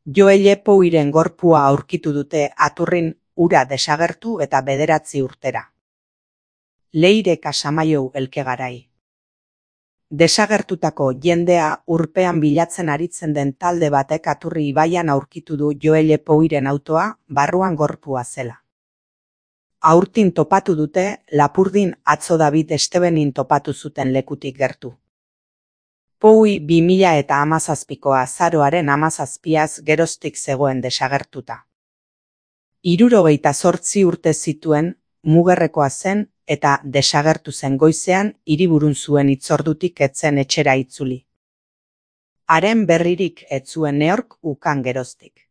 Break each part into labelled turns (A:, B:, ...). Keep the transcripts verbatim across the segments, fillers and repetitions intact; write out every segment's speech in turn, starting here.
A: Joelle Pouiren gorpua aurkitu dute Aturrin ura desagertu eta bederatzi urtera. Leire Casamaiou Elkegarai. Desagertutako jendea urpean bilatzen aritzen den talde batek Aturri ibaian aurkitu du Joelle Pouiren autoa, barruan gorpua zela. Aurtin topatu dute, Lapurdin atzo David Estebenin topatu zuten lekutik gertu. Poui bi mila eta hamazazpiko azaroaren hamazazpiaz geroztik zegoen desagertuta. Hirurogeita zortzi urte zituen, Mugerrekoa zen eta desagertu zen goizean hiriburun zuen hitzordutik etzen etxera itzuli. Haren berririk ez zuen neork ukan geroztik.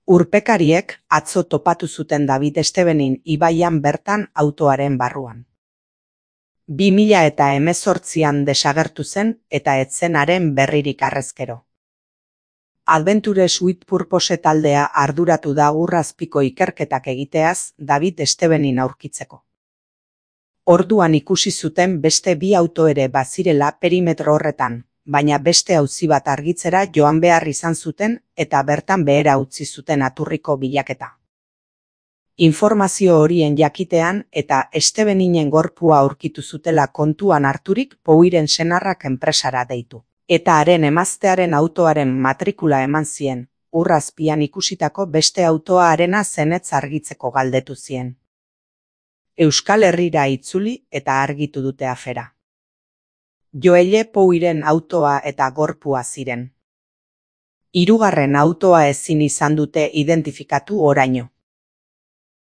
A: Urpekariek atzo topatu zuten David Estebenin ibaian bertan autoaren barruan. bi mila eta hemezortzian desagertu zen eta ez zen haren berririk harrezkero. Adventure Sweet Purpose taldea arduratu da ur azpiko ikerketak egiteaz David Estebenin aurkitzeko. Orduan ikusi zuten beste bi auto ere bazirela perimetro horretan, baina beste auzi bat argitzera joan behar izan zuten eta bertan behera utzi zuten Aturriko bilaketa. Informazio horien jakitean eta Estebeninen gorpua aurkitu zutela kontuan harturik Pouiren senarrak enpresara deitu. Eta haren emaztearen autoaren matrikula eman zien, ur azpian ikusitako beste autoa harena zenetz argitzeko galdetu zien. Euskal Herrira itzuli eta argitu dute afera. Joelle Pouiren autoa eta gorpua ziren. Hirugarren autoa ezin izan dute identifikatu oraino.